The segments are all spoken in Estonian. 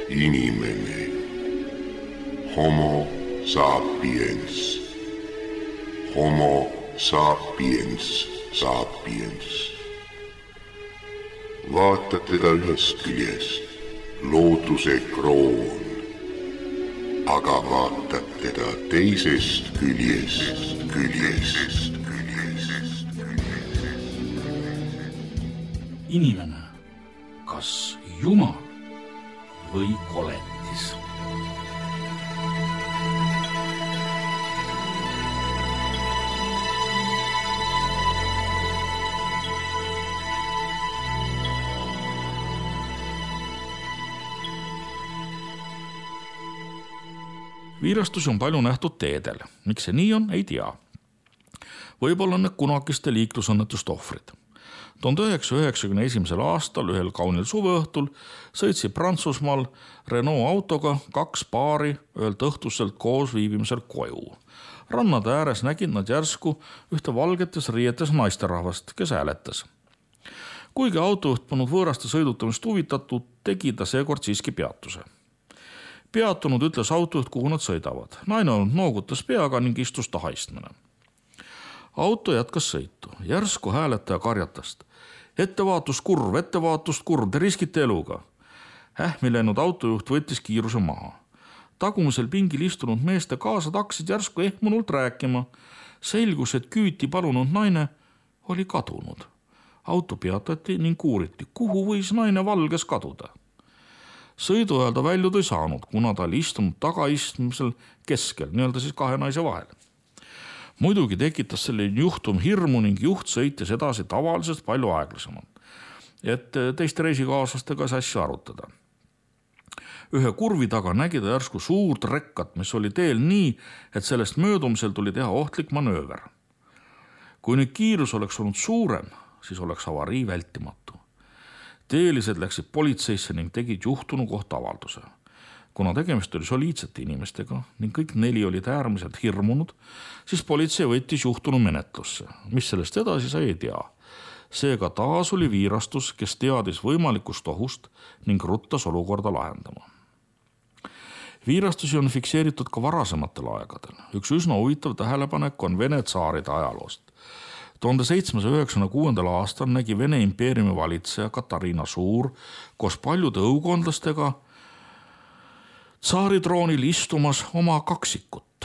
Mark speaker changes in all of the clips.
Speaker 1: Inimene. Homo sapiens. Homo sapiens sapiens. Vaata teda ühest küljest, looduse kroon, aga vaatad teda teisest küljest.
Speaker 2: Inimene, kas Jumal või koletis? Viirastusi on palju nähtud teedel. Miks see nii on, ei tea. Võib-olla on need kunagiste liiklusõnnetuste ohvrid. 1991. aastal ühel kaunil suveõhtul sõitsid Prantsusmaal Renault autoga 2 paari ühelt õhtuselt koos viibimisel koju. Rannade ääres nägid nad järsku ühte valgetes riietes naisterahvast, kes hääletas. Kuigi autojuht polnud võõraste sõidutamist huvitatud, tegi ta seekord siiski peatuse. Peatunud ütles autojuht, kuhu nad sõidavad. Naine noogutas peaga ning istus tahaistmine. Auto jätkas sõitu. Järsku hääletaja karjatast. Ettevaatust kurv, te riskite eluga. Ähmi läinud autojuht võttis kiiruse maha. Tagumisel pingil istunud meeste kaasad hakkasid järsku ehmunult rääkima. Selgus, et küüti palunud naine oli kadunud. Auto peatati ning uuriti, kuhu võis naine valges kaduda. Sõidu ajal ta väljud ei saanud, kuna ta oli istunud tagaistmisel keskel, nii-öelda siis 2 naise vahel. Muidugi tekitas selline juhtum hirmu ning juht sõitis edasi tavalisest palju aeglasemalt, et teiste reisikaaslastega see asja arutada. Ühe kurvi taga nägi ta järsku suurt rekkat, mis oli teel nii, et sellest möödumisel tuli teha ohtlik manööver. Kui nüüd kiirus oleks olnud suurem, siis oleks avarii vältimatu. Teelised läksid politseisse ning tegid juhtunu kohta avalduse. Kuna tegemist oli soliidsete inimestega ning kõik 4 olid äärmiselt hirmunud, siis politsei võttis juhtunu menetlusse. Mis sellest edasi sai, ei tea. Seega taas oli viirastus, kes teadis võimalikust ohust ning ruttas olukorda lahendama. Viirastusi on fikseeritud ka varasematel aegadel. Üks üsna huvitav tähelepanek on Vene tsaaride ajaloost. 1796. aastal nägi Vene impeeriumi valitseja Katariina Suur koos paljude õukondlastega tsaaritroonil istumas oma kaksikut.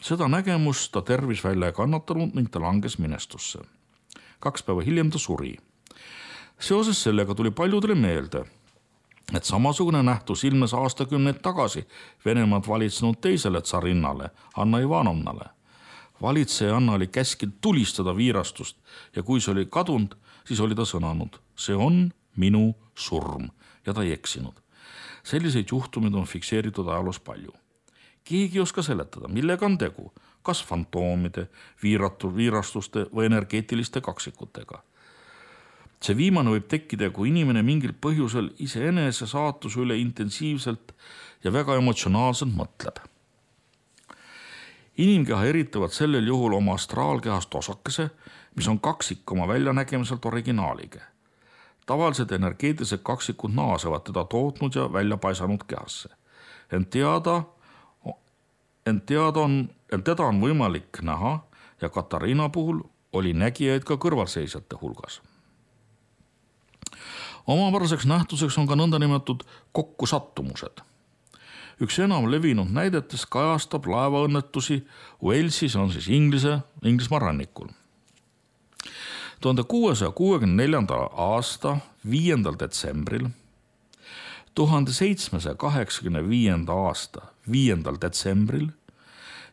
Speaker 2: Seda nägemust ta tervis välja ei kannatanud ning ta langes minestusse. 2 päeva hiljem ta suri. Seoses sellega tuli paljudele meelde, et samasugune nähtus ilmes aastakümneid tagasi Venemaad valitsenud teisele tsarinnale, Anna Ivanovnale. Valitseja Anna oli käskinud tulistada viirastust ja kui see oli kadunud, siis oli ta sõnanud, see on minu surm ja ta ei eksinud. Selliseid juhtumid on fikseeritud ajaloos palju. Keegi ei oska seletada, millega on tegu, kas fantoomide, viirastuste või energeetiliste kaksikutega. See viimane võib tekkida, kui inimene mingil põhjusel iseenese saatuse üle intensiivselt ja väga emotsionaalselt mõtleb. Inimkeha eritavad sellel juhul oma astraalkehast osakese, mis on kaksik oma väljanägemiselt originaaliga. Tavalised energeetilised kaksikud naasevad teda tootnud ja välja paisanud kehasse. Ent teda on võimalik näha ja Katariina puhul oli nägijaid ka kõrvalseisjate hulgas. Omapäraseks nähtuseks on ka nõndanimetatud kokkusattumused. Üks enam levinud näidetest kajastab laevaõnnetusi Walesis, on siis Inglismaa rannikul. 1664. aasta 5. detsembril, 1785. aasta 5. detsembril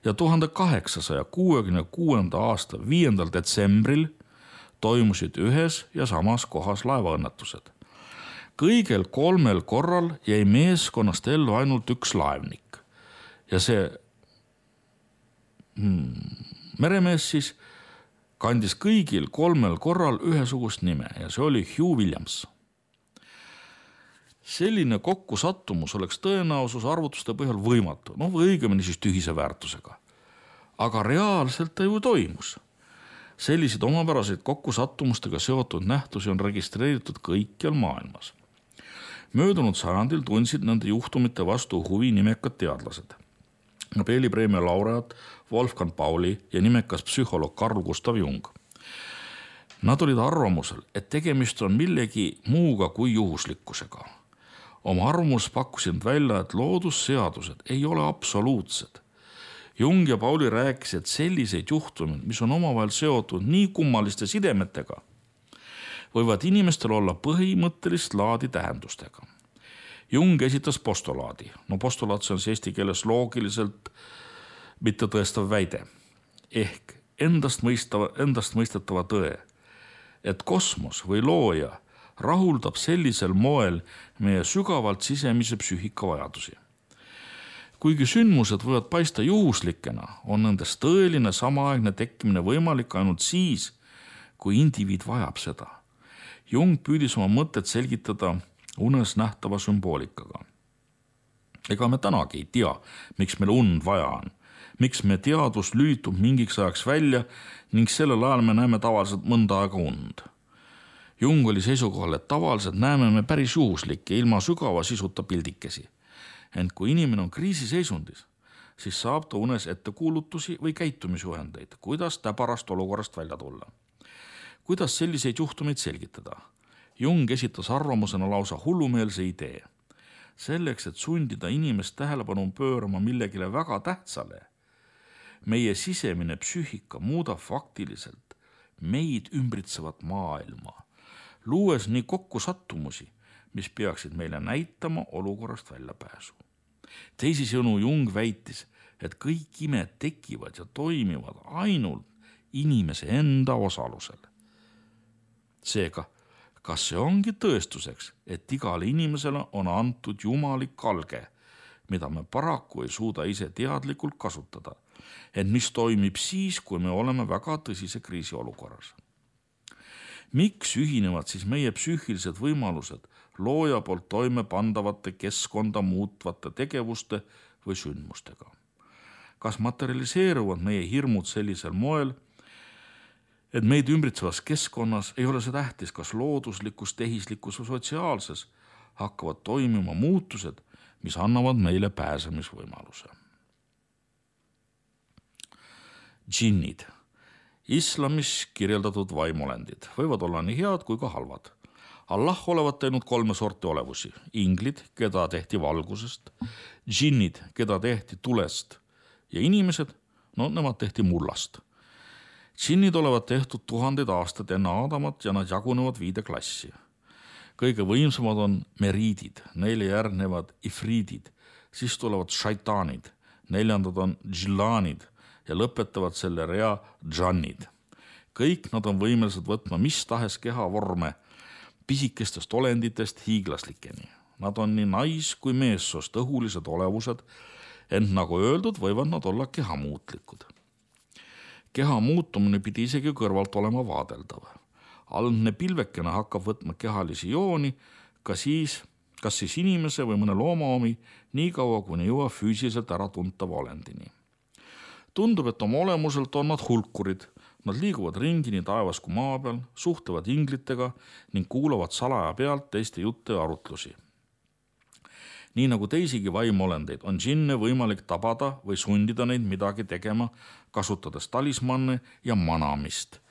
Speaker 2: ja 1866. aasta 5. detsembril toimusid ühes ja samas kohas laevaõnnetused. Kõigel 3 korral jäi meeskonnast ellu ainult üks laevnik ja see meremees siis kandis kõigil 3 korral ühesugust nime ja see oli Hugh Williams. Selline kokkusattumus oleks tõenäosus arvutuste põhjal võimatu, või õigemini siis tühise väärtusega. Aga reaalselt ta ju toimus. Selliseid omapäraseid kokkusattumustega seotud nähtusi on registreeritud kõikjal maailmas. Möödunud sajandil tundsid nende juhtumite vastu huvi nimekad teadlased. Nobeli preemia laureaat Wolfgang Pauli ja nimekas psühholoog Carl Gustav Jung. Nad olid arvamusel, et tegemist on millegi muuga kui juhuslikkusega. Oma arvamus pakkusid välja, et loodusseadused ei ole absoluutsed. Jung ja Pauli rääkisid, et selliseid juhtumeid, mis on omavahel seotud nii kummaliste sidemetega, võivad inimestel olla põhimõttelist laadi tähendustega. Jung esitas postulaadi. Postulaat see on eesti keeles loogiliselt mitte tõestav väide. Ehk endastmõistetava tõe, et kosmos või looja rahuldab sellisel moel meie sügavalt sisemise psüühika vajadusi. Kuigi sündmused võivad paista juhuslikena, on nendest tõeline samaaegne tekkimine võimalik ainult siis, kui indiviid vajab seda. Jung püüdis oma mõtet selgitada unes nähtava sümboolikaga. Ega me tänagi ei tea, miks meil und vaja on, miks me teadvus lülitub mingiks ajaks välja ning sellel ajal me näeme tavaliselt mõnda aega und. Jung oli seisukohal, et tavaliselt näeme me päris juhuslikke ilma sügava sisuta pildikesi. Ent kui inimene on kriisiseisundis, siis saab ta unes ettekuulutusi või käitumisjuhendeid, kuidas täbarast olukorrast välja tulla. Kuidas selliseid juhtumeid selgitada? Jung esitas arvamusena lausa hullumeelse idee. Selleks, et sundida inimest tähelepanu pöörama millegile väga tähtsale, meie sisemine psüühika muudab faktiliselt meid ümbritsevat maailma, luues nii kokku sattumusi, mis peaksid meile näitama olukorrast väljapääsu. Teisisõnu Jung väitis, et kõik imed tekivad ja toimivad ainult inimese enda osalusel. Seega, kas see ongi tõestuseks, et igale inimesele on antud jumalik alge, mida me paraku ei suuda ise teadlikult kasutada, et mis toimib siis, kui me oleme väga tõsise kriisiolukorras? Miks ühinevad siis meie psüühilised võimalused looja poolt toime pandavate keskkonda muutvate tegevuste või sündmustega? Kas materialiseeruvad meie hirmud sellisel moel, et meid ümbritsevas keskkonnas ei ole see tähtis, kas looduslikus, tehislikus või sotsiaalses hakkavad toimima muutused, mis annavad meile pääsemisvõimaluse. Džinnid. Islamis kirjeldatud vaimolendid võivad olla nii head kui ka halvad. Allah olevat teinud 3 sorti olevusi. Inglid, keda tehti valgusest, džinnid, keda tehti tulest ja inimesed, nemad tehti mullast. Džinnid olevat tehtud 1000 aastat enne Aadamat ja nad jagunevad 5 klassi. Kõige võimsamad on meriidid, neile järgnevad ifriidid, siis tulevad šaitaanid, 4. on džillaanid ja lõpetavad selle rea džannid. Kõik nad on võimelised võtma mis tahes keha vorme, pisikestest olenditest hiiglaslikeni. Nad on nii nais- kui meessoost õhulised olevused, ent nagu öeldud, võivad nad olla kehamuutlikud. Keha muutumine pidi isegi kõrvalt olema vaadeldav. Algne pilvekene hakkab võtma kehalisi jooni, kas siis inimese või mõne looma omi, nii kaua kuni jõuab füüsiliselt ära tuntava olendini. Tundub, et oma olemuselt on nad hulkurid. Nad liiguvad ringi nii taevas kui maa peal, suhtlevad inglitega ning kuulavad salaja pealt teiste jutte ja arutlusi. Nii nagu teisigi vaimuolendeid on džinne võimalik tabada või sundida neid midagi tegema, kasutades talismanne ja manamist.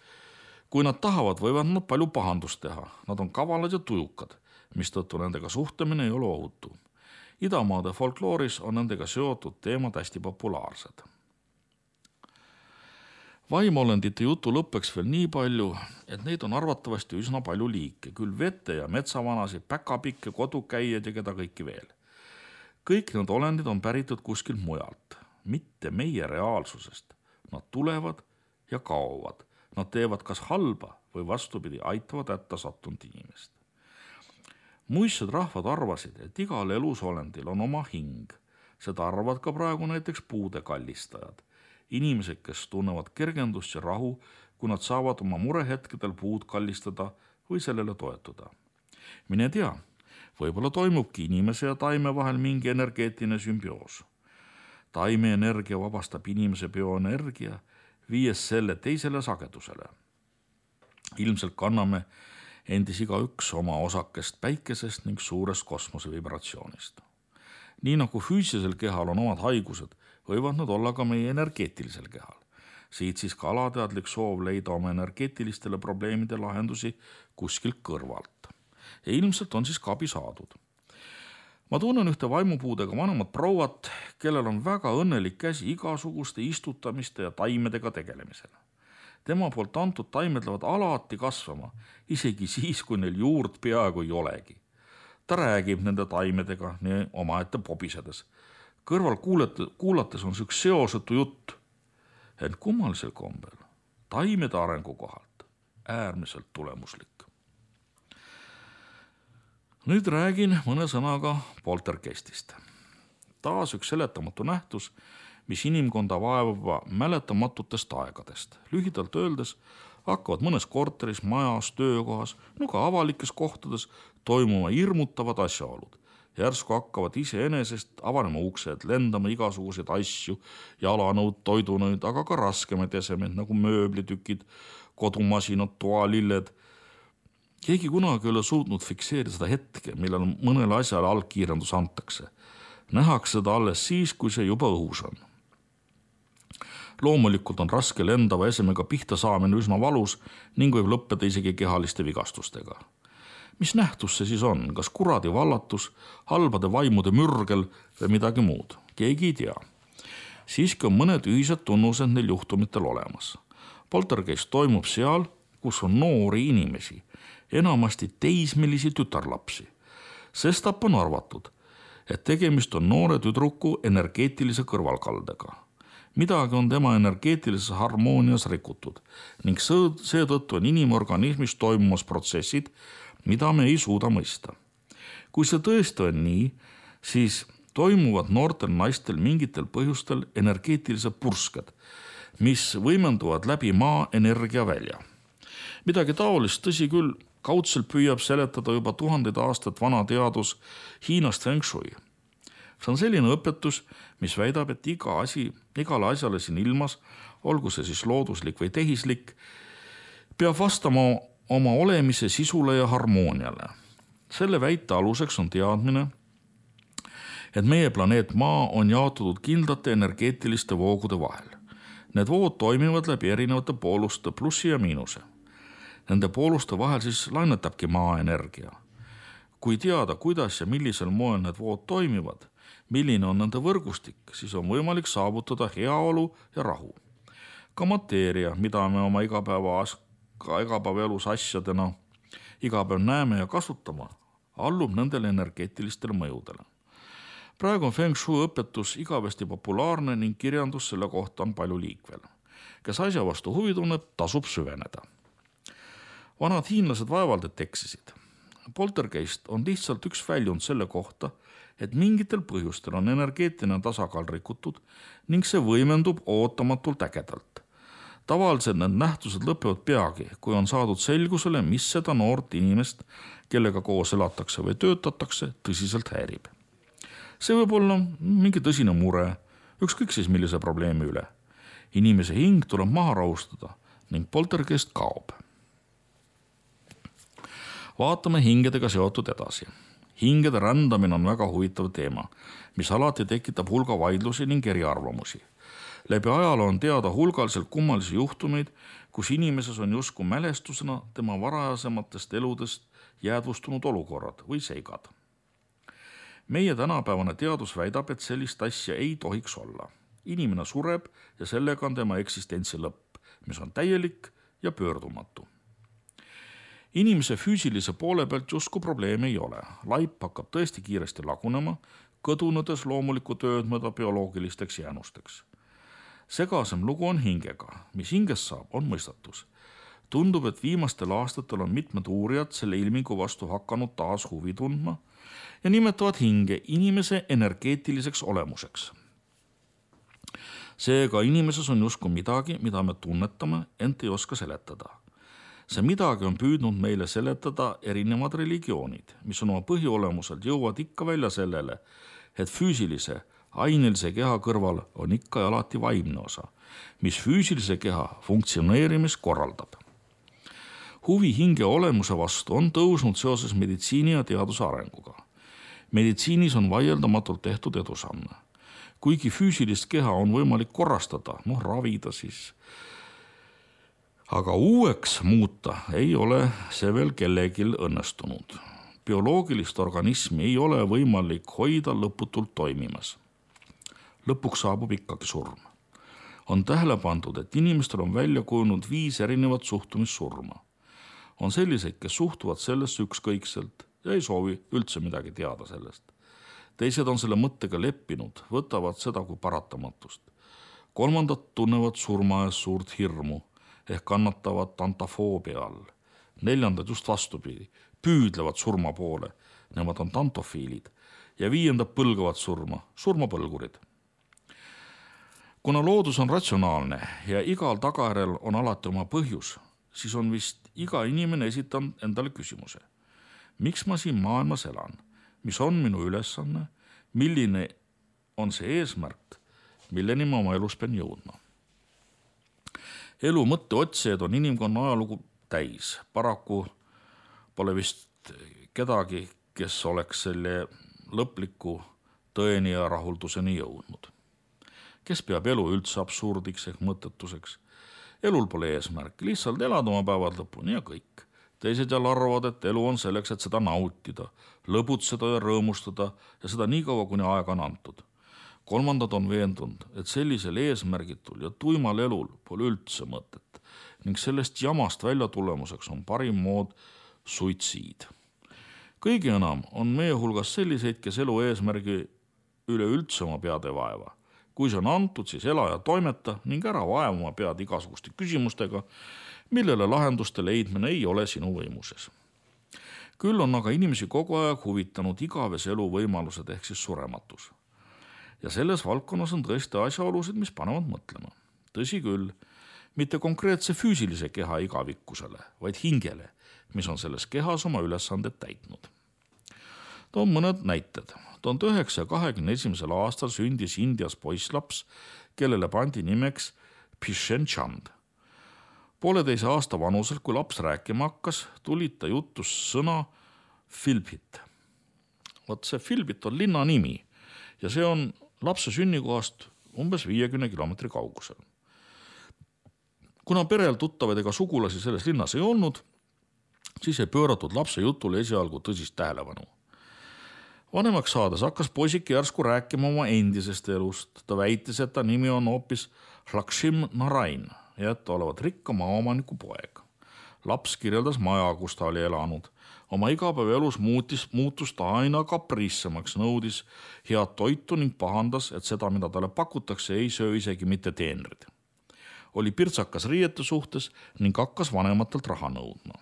Speaker 2: Kui nad tahavad, võivad nad palju pahandust teha. Nad on kavalad ja tujukad, mistõttu nendega suhtlemine ei ole ohutu. Idamaade folklooris on nendega seotud teemad hästi populaarsed. Vaimolendite jutu lõppeks veel nii palju, et neid on arvatavasti üsna palju liike, küll vete- ja metsavanasid, päkapikke, kodukäijad ja keda kõiki veel. Kõik need olendid on päritud kuskilt mujalt, mitte meie reaalsusest. Nad tulevad ja kaovad. Nad teevad kas halba või vastupidi aitavad hätta sattunud inimest. Muistsed rahvad arvasid, et igal elusolendil on oma hing. Seda arvavad ka praegu näiteks puude kallistajad. Inimesed, kes tunnevad kergendust ja rahu, kui nad saavad oma murehetkedel puud kallistada või sellele toetuda. Mine tea, võib-olla toimubki inimese ja taime vahel mingi energeetiline sümbioos. Taime energia vabastab inimese bioenergia, viies selle teisele sagedusele. Ilmselt kanname endis igaüks oma osakest päikesest ning suurest kosmose vibratsioonist. Nii nagu füüsilisel kehal on omad haigused, võivad nad olla ka meie energeetilisel kehal. Siit siis ka alateadlik soov leida oma energeetilistele probleemide lahendusi kuskilt kõrvalt. Ja ilmselt on siis ka abi saadud. Ma tunnen ühte vaimupuudega vanemat prouat, kellel on väga õnnelik käsi igasuguste istutamiste ja taimedega tegelemisel. Tema poolt antud taimed lähevad alati kasvama, isegi siis, kui neil juurt peaaegu ei olegi. Ta räägib nende taimedega nii omaette pobisedes. Kõrval kuulates on see üks seosetu jutt, ent kummalisel kombel taimede arengu kohalt äärmiselt tulemuslik. Nüüd räägin mõne sõnaga poltergeistist. Taas üks seletamatu nähtus, mis inimkonda vaevab mäletamatutest aegadest. Lühidalt öeldes hakkavad mõnes korteris, majas, töökohas, ka avalikes kohtades toimuma hirmutavad asjaolud. Järsku hakkavad iseenesest avanema uksed, lendama igasuguseid asju, jalanõud, toidunõud, aga ka raskemaid esemeid nagu mööblitükid, kodumasinad, toalilled. Keegi kunagi ei ole suutnud fikseerida seda hetke, millal mõnele asjale algkiirendus antakse. Nähakse seda alles siis, kui see juba õhus on. Loomulikult on raske lendava esemega pihta saamine üsna valus ning võib lõppeda isegi kehaliste vigastustega. Mis nähtus see siis on? Kas kuradi vallatus, halbade vaimude mürgel või midagi muud? Keegi ei tea. Siiski on mõned ühised tunnused neil juhtumitel olemas. Poltergeist toimub seal, kus on noori inimesi, enamasti teismelisi tütarlapsi. Sestap on arvatud, et tegemist on noore tüdruku energeetilise kõrvalkaldega. Midagi on tema energeetilises harmoonias rikutud ning seetõttu on inimorganismis toimumas protsessid, mida me ei suuda mõista. Kui see tõesti on nii, siis toimuvad noortel naistel mingitel põhjustel energeetilised pursked, mis võimenduvad läbi maa energiavälja. Midagi taolist, tõsi küll, kaudselt püüab seletada juba 1000 aastat vana teadus Hiinast Feng Shui. See on selline õpetus, mis väidab, et igale asjale siin ilmas, olgu see siis looduslik või tehislik, peab vastama oma olemise sisule ja harmooniale. Selle väite aluseks on teadmine, et meie planeet Maa on jaotatud kindlate energeetiliste voogude vahel. Need vood toimivad läbi erinevate pooluste plussi ja miinuse. Nende pooluste vahel siis lainetabki maa energia. Kui teada, kuidas ja millisel moel need vood toimivad, milline on nende võrgustik, siis on võimalik saavutada heaolu ja rahu. Ka mateeria, mida me oma igapäevaelus asjadena igapäev näeme ja kasutama, allub nendele energeetilistele mõjudele. Praegu on Feng Shui õpetus igavesti populaarne ning kirjandus selle kohta on palju liikvel. Kes asja vastu huvi tunneb, tasub süveneda. Vanad hiinlased vaevalt et eksisid. Poltergeist on lihtsalt üks väljund selle kohta, et mingitel põhjustel on energeetiline tasakaal rikutud ning see võimendub ootamatult ägedalt. Tavaliselt need nähtused lõpevad peagi, kui on saadud selgusele, mis seda noort inimest, kellega koos elatakse või töötatakse, tõsiselt häirib. See võib olla mingi tõsine mure, ükskõik siis millise probleemi üle. Inimese hing tuleb maha rahustada ning poltergeist kaob. Vaatame hingedega seotud edasi. Hingede rändamine on väga huvitav teema, mis alati tekitab hulga vaidlusi ning eriarvamusi. Läbi ajaloo on teada hulgaliselt kummalisi juhtumeid, kus inimeses on justkui mälestusena tema varajasematest eludest jäädvustunud olukorrad või seigad. Meie tänapäevane teadus väidab, et sellist asja ei tohiks olla. Inimene sureb ja sellega on tema eksistentsi lõpp, mis on täielik ja pöördumatu. Inimese füüsilise poole pealt justkui probleeme ei ole. Laip hakkab tõesti kiiresti lagunema, kõdunedes loomulikku tööd mööda bioloogilisteks jäänusteks. Segasem lugu on hingega. Mis hingest saab, on mõistatus. Tundub, et viimastel aastatel on mitmed uurijad selle ilmingu vastu hakanud taas huvi tundma ja nimetavad hinge inimese energeetiliseks olemuseks. Seega inimeses on justkui midagi, mida me tunnetame, ent ei oska seletada. See midagi on püüdnud meile seletada erinevad religioonid, mis on oma põhiolemuselt jõuavad ikka välja sellele, et füüsilise, ainelise keha kõrval on ikka ja alati vaimne osa, mis füüsilise keha funktsioneerimist korraldab. Huvi hinge olemuse vastu on tõusnud seoses meditsiini ja teaduse arenguga. Meditsiinis on vaieldamatult tehtud edusamme. Kuigi füüsilist keha on võimalik korrastada, ravida siis. Aga uueks muuta ei ole see veel kellegil õnnestunud. Bioloogilist organismi ei ole võimalik hoida lõputult toimimas. Lõpuks saabub ikkagi surm. On tähele pandud, et inimestel on välja kujunud 5 erinevat suhtumissurma. On selliseid, kes suhtuvad sellesse ükskõikselt ja ei soovi üldse midagi teada sellest. Teised on selle mõttega leppinud, võtavad seda kui paratamatust. 3. tunnevad surma ees suurt hirmu ehk kannatavad tantofoobia all. 4. just vastupidi, püüdlevad surma poole, nemad on tantofiilid, ja 5. põlgavad surmapõlgurid. Kuna loodus on ratsionaalne ja igal tagajärjel on alati oma põhjus, siis on vist iga inimene esitanud endale küsimuse. Miks ma siin maailmas elan? Mis on minu ülesanne? Milline on see eesmärk, milleni ma oma elus pean jõudma? Elu mõtteotsijaid on inimkonna ajalugu täis. Paraku pole vist kedagi, kes oleks selle lõpliku tõeni ja rahulduseni jõudnud. Kes peab elu üldse absurdiks ehk mõttetuseks? Elul pole eesmärk, lihtsalt elada oma päevad lõpuni ja kõik. Teised jälle arvavad, et elu on selleks, et seda nautida, lõbutseda ja rõõmustada ja seda nii kaua, kuni aega on antud. 3. on veendunud, et sellisel eesmärgitul ja tuimal elul pole üldse mõtet ning sellest jamast välja tulemuseks on parim mood suitsiid. Kõige enam on meie hulgas selliseid, kes elu eesmärgi üleüldse oma pead ei vaeva. Kui see on antud, siis ela ja toimeta ning ära vaeva oma pead igasuguste küsimustega, millele lahenduste leidmine ei ole sinu võimuses. Küll on aga inimesi kogu aeg huvitanud igavese elu võimalused ehk siis surematus. Ja selles valdkonnas on tõesti asjaolusid, mis panevad mõtlema. Tõsi küll, mitte konkreetse füüsilise keha igavikkusele, vaid hingele, mis on selles kehas oma ülesanded täitnud. Toon mõned näited. 1921. aastal sündis Indias poisslaps, kellele pandi nimeks Bhishn Chand. 1,5 aasta vanuselt, kui laps rääkima hakkas, tulid ta jutus sõna Filbit. Vot see Filbit on linna nimi ja see on lapse sünnikohast umbes 50 kilomeetri kaugusel. Kuna perel tuttavaid ega sugulasi selles linnas ei olnud, siis ei pööratud lapse jutule esialgu tõsist tähelepanu. Vanemaks saades hakkas poisike järsku rääkima oma endisest elust. Ta väitis, et ta nimi on hoopis Lakshmi Narain ja et olevat rikka maaomaniku poeg. Laps kirjeldas maja, kus ta oli elanud. Oma igapäevaelus muutus ta aina kapriissemaks, nõudis head toitu ning pahandas, et seda, mida talle pakutakse, ei söö isegi mitte teenrid. Oli pirtsakas riiete suhtes ning hakkas vanematelt raha nõudma.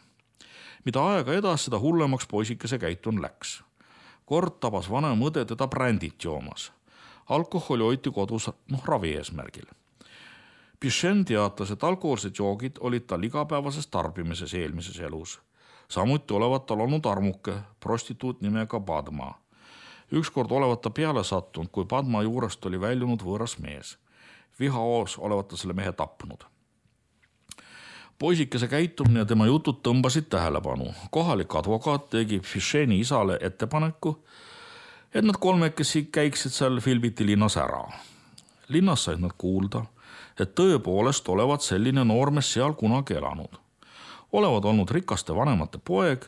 Speaker 2: Mida aega edas, seda hullemaks poisikese käitun läks. Kord tabas vanem õde teda brändit joomas. Alkoholi hoiti kodus ravi eesmärgil. Bhishn teatas, et alkoholsed joogid olid tal igapäevases tarbimises eelmises elus. Samuti olevat tal olnud armuke, prostituut nimega Padma. Ükskord olevat ta peale sattunud, kui Padma juurest oli väljunud võõras mees. Vihaoos olevat ta selle mehe tapnud. Poisikese käitumine ja tema jutud tõmbasid tähelepanu. Kohalik advokaat tegi Bhishni isale ettepaneku, et nad kolmekesi käiksid seal Filbiti linnas ära. Linnas said nad kuulda, et tõepoolest olevat selline noormees seal kunagi elanud. Olevat olnud rikaste vanemate poeg,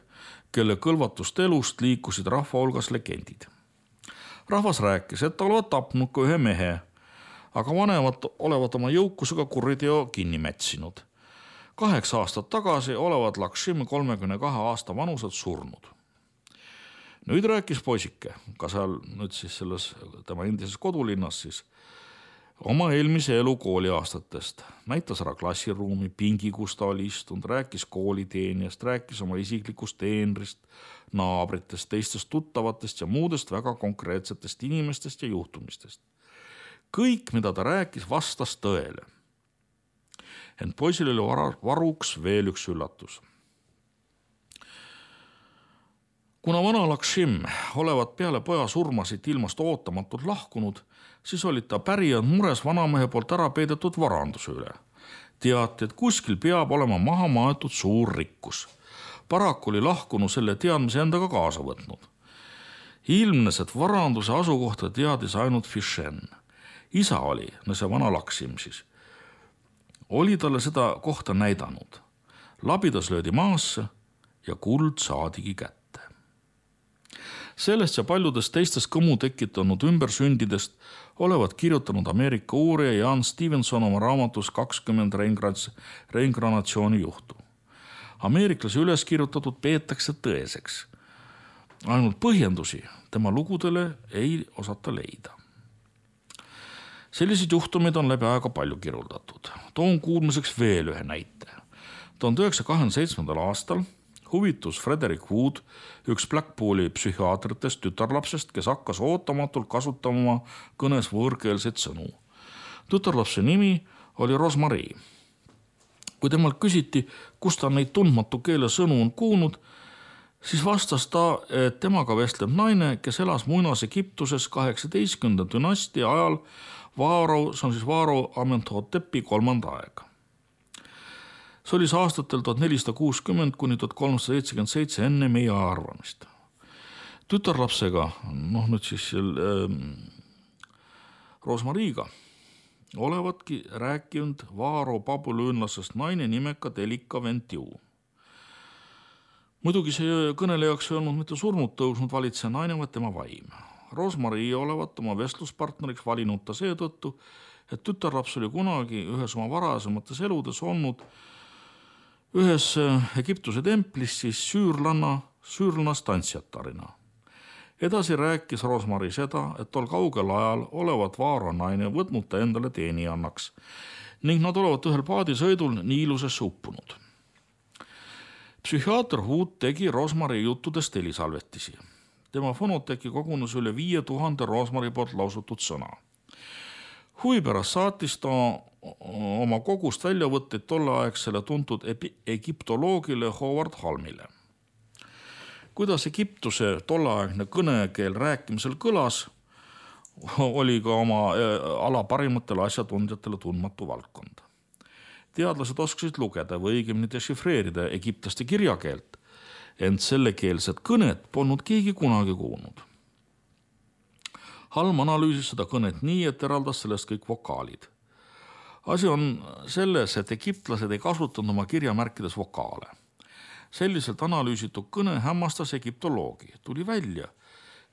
Speaker 2: kelle kõlvatust elust liikusid rahva hulgas legendid. Rahvas rääkis, et ta olevat tapnud ka ühe mehe, aga vanemad olevat oma jõukusega kuriteo kinni mätsinud. 8 aastat tagasi olevat Lakshmi 32 aasta vanuselt surnud. Nüüd rääkis poisike, ka seal nüüd siis selles tema endises kodulinnas siis, oma eelmise elu kooliaastatest. Näitas ära klassiruumi, pingi, kus ta oli istunud, rääkis kooliteenijast, rääkis oma isiklikust teenrist, naabritest, teistest tuttavatest ja muudest väga konkreetsetest inimestest ja juhtumistest. Kõik, mida ta rääkis, vastas tõele. Ent poisil oli varuks veel üks üllatus. Kuna vana Lakshmi olevat peale poja surmasid ilmast ootamatult lahkunud, siis olid ta pärijad mures vanamehe poolt ära peidetud varanduse üle. teati, et kuskil peab olema maha maetud suur rikkus. Paraku oli lahkunu selle teadmise endaga kaasa võtnud. Ilmnes, et varanduse asukohta teadis ainult Fishen. Isa oli, see vana Laksim siis, oli talle seda kohta näidanud. Labidas löödi maasse ja kuld saadigi kätte. Sellest ja paljudest teistest kõmu tekitanud ümbersündidest olevat kirjutanud Ameerika uurija Jan Stevenson oma raamatus 20 reingranatsiooni juhtu. Ameeriklase üles kirjutatud peetakse tõeseks. Ainult põhjendusi tema lugudele ei osata leida. Selliseid juhtumeid on läbi aega palju kirjeldatud. Toon kuulmiseks veel ühe näite. 1927. aastal huvitus Frederick Wood, üks Blackpooli psühhiaatritest tütarlapsest, kes hakkas ootamatult kasutama kõnes võõrkeelseid sõnu. Tütarlapse nimi oli Rosemarie. Kui temalt küsiti, kus ta neid tundmatu keele sõnu on kuulnud, siis vastas ta, et temaga vestleb naine, kes elas Muinas-Egiptuses 18. dünastia ajal Vaaro Amenhotepi 3. aega. See oli aastatel 1460 kuni 1377 enne meie arvamist. Tütarlapsega, nüüd siis Rosemariga, olevatki rääkinud Vaaro babülöönlasest naine nimeka Delika Ventiu. Muidugi see kõnelejaks ei olnud mitte surnud tõusnud valitseja naine, vaid tema vaim. Rosemarie olevat oma vestluspartneriks valinud ta seetõttu, et tütarlaps oli kunagi ühes oma varasemates eludes olnud ühes Egiptuse templis siis süürlanna tantsijatarina. Edasi rääkis Rosemarie seda, et tol kaugel ajal olevat Vaaro naine võtnud ta endale teenijannaks ning nad olevat ühel paadisõidul Niilusesse uppunud. Psühhiaater Wood tegi Rosemarie juttudest helisalvetisi. Tema fonoteki kogunes üle 5000 Rosemarie poolt lausutud sõna. Huvi pärast saatis ta oma kogust väljavõtteid tolleaegsele tuntud egiptoloogile Howard Halmile. Kuidas Egiptuse tolleaegne kõnekeel rääkimisel kõlas, oli ka oma ala parimatele asjatundjatele tundmatu valdkond. Teadlased oskasid lugeda või õigemini dešifreerida egiptlaste kirjakeelt, ent sellekeelset kõnet polnud keegi kunagi kuulnud. Halm analüüsis seda kõnet nii, et eraldas sellest kõik vokaalid. Asi on selles, et egiptlased ei kasutanud oma kirjamärkides vokaale. Selliselt analüüsitud kõne hämmastas egiptoloogi. Tuli välja,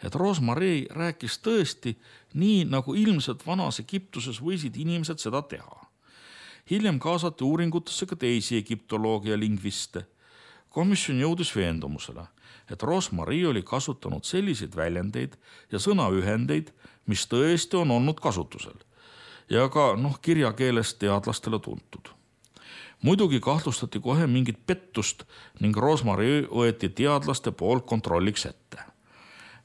Speaker 2: et Rosemarie rääkis tõesti nii, nagu ilmselt vanas Egiptuses võisid inimesed seda teha. Hiljem kaasati uuringutesse ka teisi egiptoloogia lingviste. Komisjon jõudis veendumusele, et Rosemarie oli kasutanud selliseid väljendeid ja sõnaühendeid, mis tõesti on olnud kasutusel ja ka kirjakeelest teadlastele tuntud. Muidugi kahtlustati kohe mingit pettust ning Rosemarie võeti teadlaste poolt kontrolliks ette.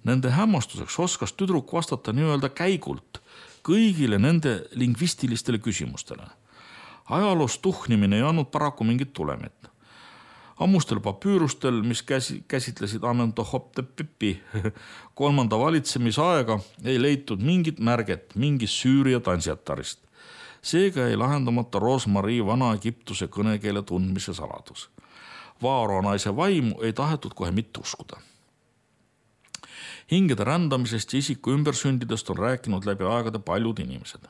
Speaker 2: Nende hämmastuseks oskas tüdruk vastata nii-öelda käigult kõigile nende lingvistilistele küsimustele. Ajaloos tuhnimine ei andnud paraku mingit tulemit. Ammustel papüürustel, mis käsitlesid Amenhotepi 3. valitsemisaega, ei leitud mingit märget mingist Süüria tantsijatarist. Seega ei lahendamata Rosemarie vana Egiptuse kõnekeele tundmise saladus. Vaaro naise vaimu ei tahetud kohe mitte uskuda. Hingede rändamisest ja isiku ümbersündidest on rääkinud läbi aegade paljud inimesed.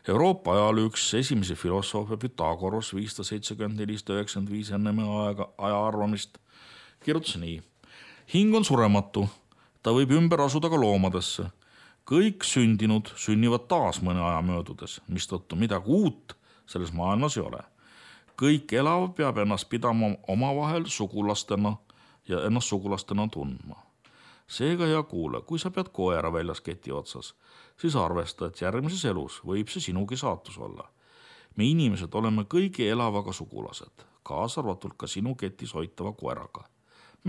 Speaker 2: Euroopa ajal üks esimese filosoofe Pythagoras 574-95 enne aja arvamist kirjutas nii. Hing on surematu, ta võib ümber asuda ka loomadesse. Kõik sündinud sünnivad taas mõne aja möödudes, mistõttu midagi uut selles maailmas ei ole. Kõik elav peab ennast pidama omavahel sugulastena ja ennast sugulastena tundma. Seega hea kuule, kui sa pead koera väljas keti otsas, siis arvesta, et järgmises elus võib see sinugi saatus olla. Me inimesed oleme kõigi elavaga sugulased, kaasa arvatult ka sinu ketis hoitava koeraga.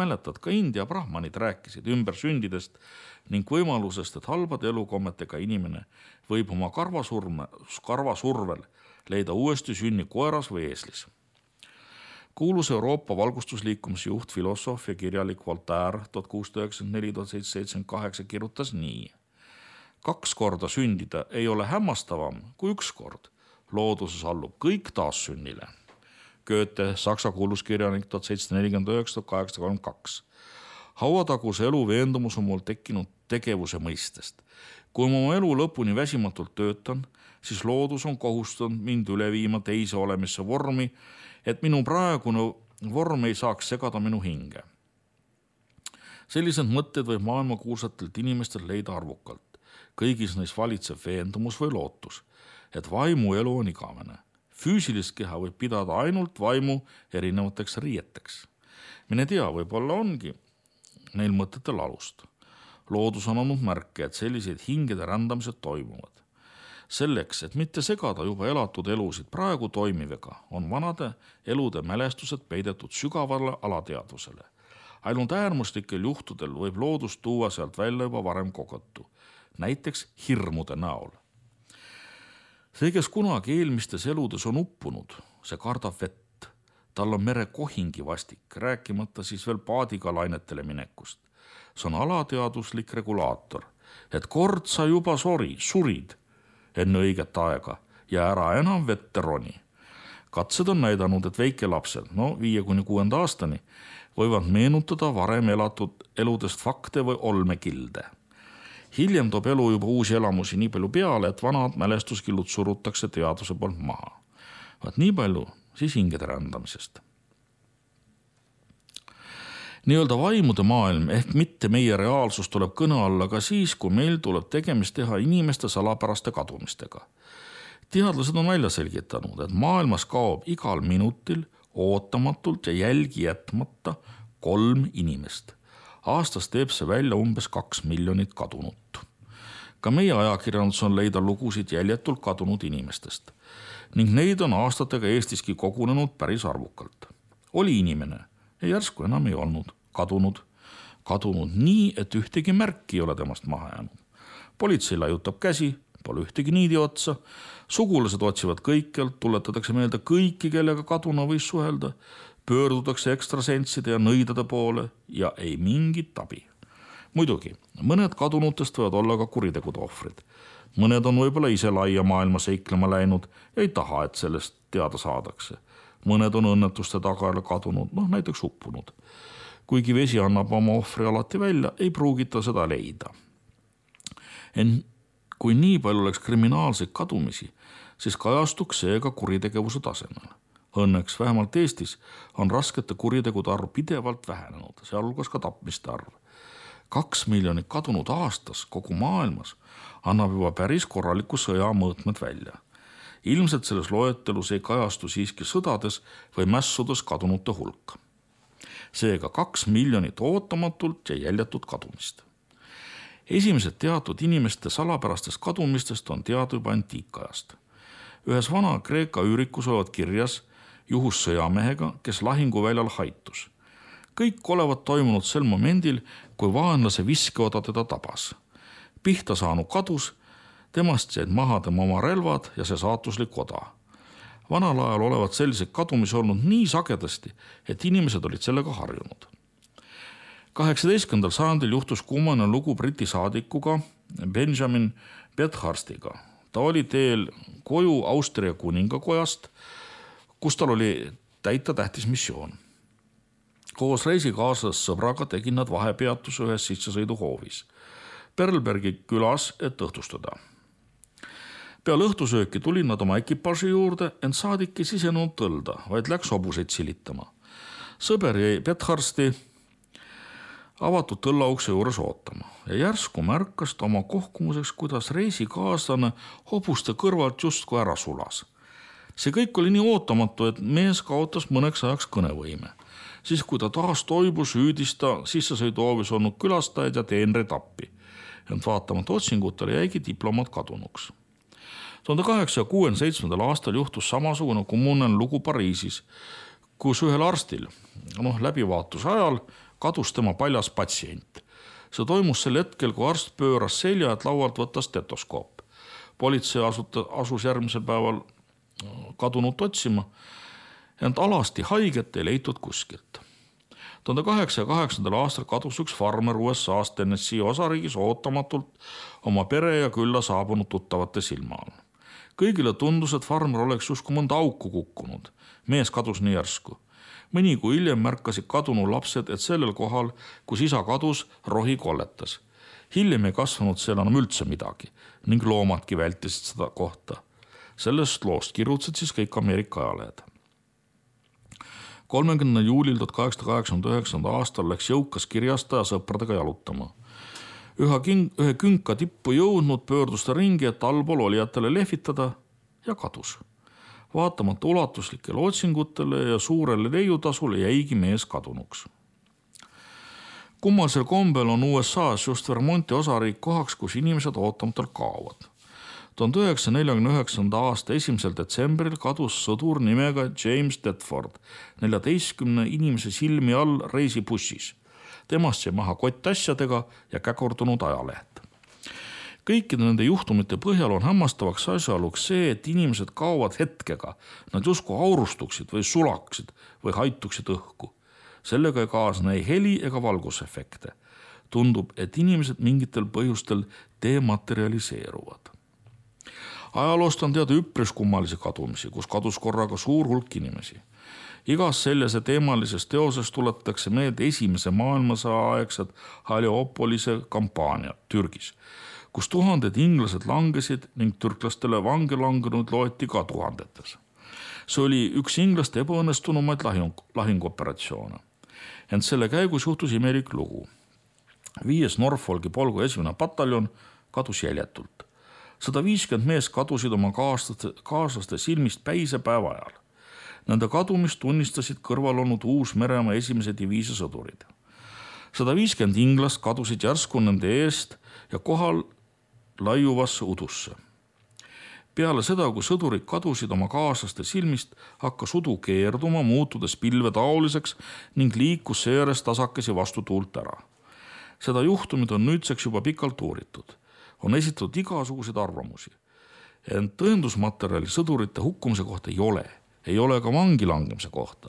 Speaker 2: Mäletad, ka India brahmanid rääkisid ümbersündidest ning võimalusest, et halbade elukommetega inimene võib oma karvasurvel leida uuesti sünni koeras või eeslis. Kuulus Euroopa valgustusliikumise juht, filosoof ja kirjalik Voltaire 1694-1778 kirjutas nii. 2 korda sündida ei ole hämmastavam kui 1 kord. looduses allub kõik taassünnile. Goethe, saksa kuuluskirjanik 1749–1832. Hauataguse elu veendumus on mul tekkinud tegevuse mõistest. Kui ma oma elu lõpuni väsimatult töötan, siis loodus on kohustanud mind üle viima teise olemisse vormi, et minu praegune vorm ei saaks segada minu hinge. Sellised mõtted võib maailmakuulsatelt inimestel leida arvukalt. Kõigis neis valitseb veendumus või lootus, et vaimu elu on igavene. Füüsilist keha võib pidada ainult vaimu erinevateks riieteks. Mine tea, võib-olla ongi neil mõtetel alust. Loodus on olnud märke, et sellised hingede rändamised toimuvad. Selleks, et mitte segada juba elatud elusid praegu toimivega, on vanade elude mälestused peidetud sügavale alateadvusele. Ainult äärmuslikel juhtudel võib loodus tuua sealt välja juba varem kogetu, näiteks hirmude näol. See, kes kunagi eelmistes eludes on uppunud, see kardab vett. Tal on mere kohingi vastik, rääkimata siis veel paadiga lainetele minekust. See on alateaduslik regulaator, et kord sa juba surid enne õiget aega ja ära enam vette roni. Katsed on näidanud, et väikelapsel, 5–6 aastani, võivad meenutada varem elatud eludest fakte või olmekilde. Hiljem toob elu juba uusi elamusi nii palju peale, et vanad mälestuskillud surutakse teaduse poolt maha. Vaat nii palju siis hingede rändamisest. Nii-öelda vaimude maailm ehk mitte meie reaalsus tuleb kõne alla ka siis, kui meil tuleb tegemist teha inimeste salapäraste kadumistega. Teadlased on välja selgitanud, et maailmas kaob igal minutil ootamatult ja jälgi jätmata 3 inimest. Aastas teeb see välja umbes 2 miljonit kadunut. Ka meie ajakirjandus on leida lugusid jäljetult kadunud inimestest ning neid on aastatega Eestiski kogunenud päris arvukalt. Oli inimene ja järsku enam ei olnud kadunud nii, et ühtegi märki ei ole temast maha jäänud. Politsei laiutab käsi, pole ühtegi niidi otsa, sugulased otsivad kõikjalt, tuletatakse meelde kõiki, kellega kaduna võis suhelda, pöördutakse ekstrasentside ja nõidade poole ja ei mingit abi. Muidugi, mõned kadunutest võivad olla ka kuritegude ohvrid. Mõned on võib-olla ise laia maailma seiklema läinud ja ei taha, et sellest teada saadakse. Mõned on õnnetuste tagajärjel kadunud, näiteks uppunud. Kuigi vesi annab oma ohvri alati välja, ei pruugita seda leida. Kui nii palju oleks kriminaalseid kadumisi, siis kajastuks see ka kuritegevuse tasemel. Õnneks vähemalt Eestis on raskete kuritegude arv pidevalt vähenenud, sealhulgas ka tapmiste arv. 2 miljonit kadunud aastas kogu maailmas annab juba päris korraliku sõja mõõtmed välja. Ilmselt selles loetelus ei kajastu siiski sõdades või mässudes kadunute hulk. Seega 2 miljonit ootamatult ja jäljatud kadumist. Esimesed teatud inimeste salapärastest kadumistest on teada juba antiikajast. Ühes vana Kreeka üürikus olevat kirjas juhus sõjamehega, kes lahinguväljal haitus. Kõik olevat toimunud sel momendil, kui vaenlase viskeoda teda tabas. Pihta saanu kadus, temast jäid maha tema oma relvad ja see saatuslik oda. Vanal ajal olevat selliseid kadumisi olnud nii sagedasti, et inimesed olid sellega harjunud. 18. sajandil juhtus kummane lugu Briti saadikuga Benjamin Bathurstiga. Ta oli teel koju Austria kuningakojast, kus tal oli täita tähtis missioon. Koos reisikaaslasest sõbraga tegid nad vahepeatuse ühes sissesõiduhoovis Perlbergi külas, et õhtustada. Peale õhtusööki tulid nad oma ekipaaži juurde, ent saadik ei sisenenud tõlda, vaid läks hobuseid silitama. Sõber jäi Bathursti avatud tõllaukse juures ootama ja järsku märkas ta oma kohkumuseks, kuidas reisikaaslane hobuste kõrvalt justkui ära sulas. See kõik oli nii ootamatu, et mees kaotas mõneks ajaks kõnevõime. Siis kui ta taas toibus, hüüdis ta sissesõiduhoovis olnud külastajaid ja teenreid appi. Ent vaatamata otsingutele jäigi diplomaat kadunuks. 1867. aastal juhtus samasugune kummunen lugu Pariisis, kus ühel arstil läbivaatuse ajal kadus tema paljas patsient. See toimus sel hetkel, kui arst pööras selja, et laualt võtta stetoskoop. Politsei asus järgmisel päeval kadunut otsima, ent alasti haiget ei leitud kuskilt. 1808. aastal kadus üks farmer USA-st Tennessee osariigis ootamatult oma pere ja külla saabunud tuttavate silma all. Kõigile tundus, et farmer oleks justkui mõnda auku kukkunud. Mees kadus nii järsku. Mõni kui hiljem märkasid kadunu lapsed, et sellel kohal, kus isa kadus, rohi kolletas. Hiljem ei kasvanud seal enam üldse midagi ning loomadki vältisid seda kohta. Sellest loost kirjutasid siis kõik Ameerika ajalehed. 30. juulil 1889. aastal läks jõukas kirjastaja sõpradega jalutama. Ühe künka tippu jõudnud pöördus ta ringi, et allpool olijatele lehvitada ja kadus. Vaatamata ulatuslikele otsingutele ja suurele leiutasule jäigi mees kadunuks. Kummasel kombel on USA-s just Vermonti osariik kohaks, kus inimesed ootamatult kaovad. 1949. aasta 1. detsembril kadus sõdur nimega James Tedford 14 inimese silmi all reisibussis. Temast jäi maha kott asjadega ja käkurdunud ajalehed. Kõikide nende juhtumite põhjal on hämmastavaks asjaoluks see, et inimesed kaovad hetkega. Nad justkui aurustuksid või sulaksid või haituksid õhku. Sellega ei kaasne ei heli ega valgusefekte. Tundub, et inimesed mingitel põhjustel dematerialiseeruvad. Ajaloost on teada üpris kummalisi kadumisi, kus kadus korraga suur hulk inimesi. Igas sellise teemalises teoses tuletatakse meelde esimese maailmasõja aegsed Heliopolise kampaania Türgis, kus tuhanded inglased langesid ning türklastele vange langenud loeti ka tuhandetes. See oli üks inglaste ebaõnnestunumaid lahinguoperatsioone. Ent selle käigus juhtus imelik lugu. 5. Norfolki polgu 1. pataljon kadus jäljetult. 150 mees kadusid oma kaaslaste silmist päisepäeva ajal. Nende kadumist tunnistasid kõrval olnud Uus-Meremaa 1. diviisi sõdurid. 150 inglast kadusid järsku nende eest ja kohal laiuvasse udusse. Peale seda, kui sõdurid kadusid oma kaaslaste silmist, hakkas udu keerduma, muutudes pilvetaoliseks ning liikus seeres tasakesi vastu tuult ära. Seda juhtumid on nüüdseks juba pikalt uuritud. On esitatud igasuguseid arvamusi. Ent tõendusmaterjali sõdurite hukkumise kohta ei ole. Ei ole ka vangi langemise kohta.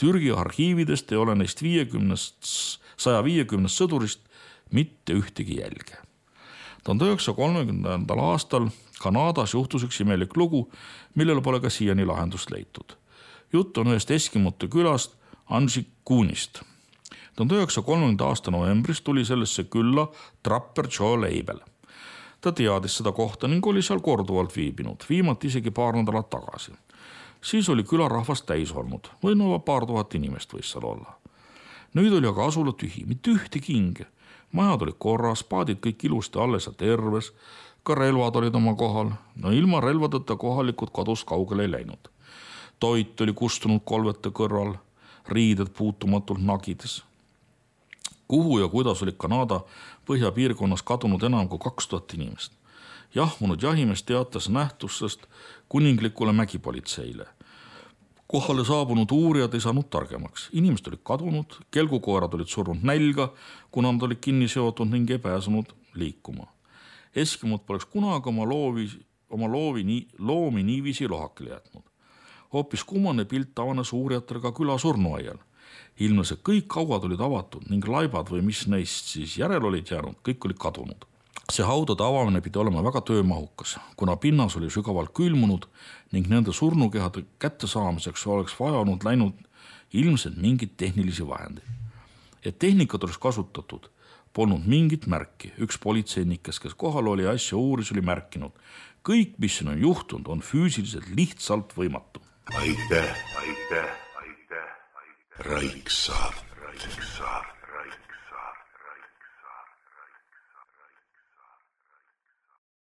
Speaker 2: Türgi arhiividest ei ole neist 150 sõdurist mitte ühtegi jälge. 1930. aastal Kanadas juhtus üks imelik lugu, millel pole ka siiani lahendust leitud. Jutt on ühest Eskimote külast Anžikuunist. 1930. aasta novembris tuli sellesse külla trapper Joe Leibel. Ta teadis seda kohta ning oli seal korduvalt viibinud, viimati isegi paar nädalat tagasi. Siis oli külarahvast täis olnud, või paar tuhat inimest võis seal olla. Nüüd oli aga asula tühi, mitte ühtegi hinge. Majad olid korras, paadid kõik ilusti alles ja terves, ka relvad olid oma kohal. No ilma relvadeta kohalikud kadus kaugele ei läinud. Toit oli kustunud kolvete kõrval, riided puutumatult nagides. Kuhu ja kuidas olid Kanada põhjapiirkonnas kadunud enam kui 2000 inimest. Jahmunud jahimees teatas nähtustest kuninglikule mägipolitseile. Kohale saabunud uurijad ei saanud targemaks. Inimesed olid kadunud, kelgukoerad olid surnud nälga, kuna nad olid kinni seotud ning ei pääsenud liikuma. Eskimod poleks kunagi oma loomi niiviisi lohakile jätnud. Hoopis kummane pilt avanes uurijatele ka küla surnuaial. Ilmnes, et kõik hauad olid avatud ning laibad või mis neist siis järel olid jäänud, kõik olid kadunud. See haudade avamine pidi olema väga töömahukas, kuna pinnas oli sügavalt külmunud ning nende surnukehade kättesaamiseks oleks vajanud läinud ilmselt mingid tehnilisi vahendeid. Et tehnikat oleks kasutatud, polnud mingit märki. Üks politseinikes, kes kohal oli asja uuris, oli märkinud. Kõik, mis on juhtunud, on füüsiliselt lihtsalt võimatu.
Speaker 1: Aitäh. Raiksaart.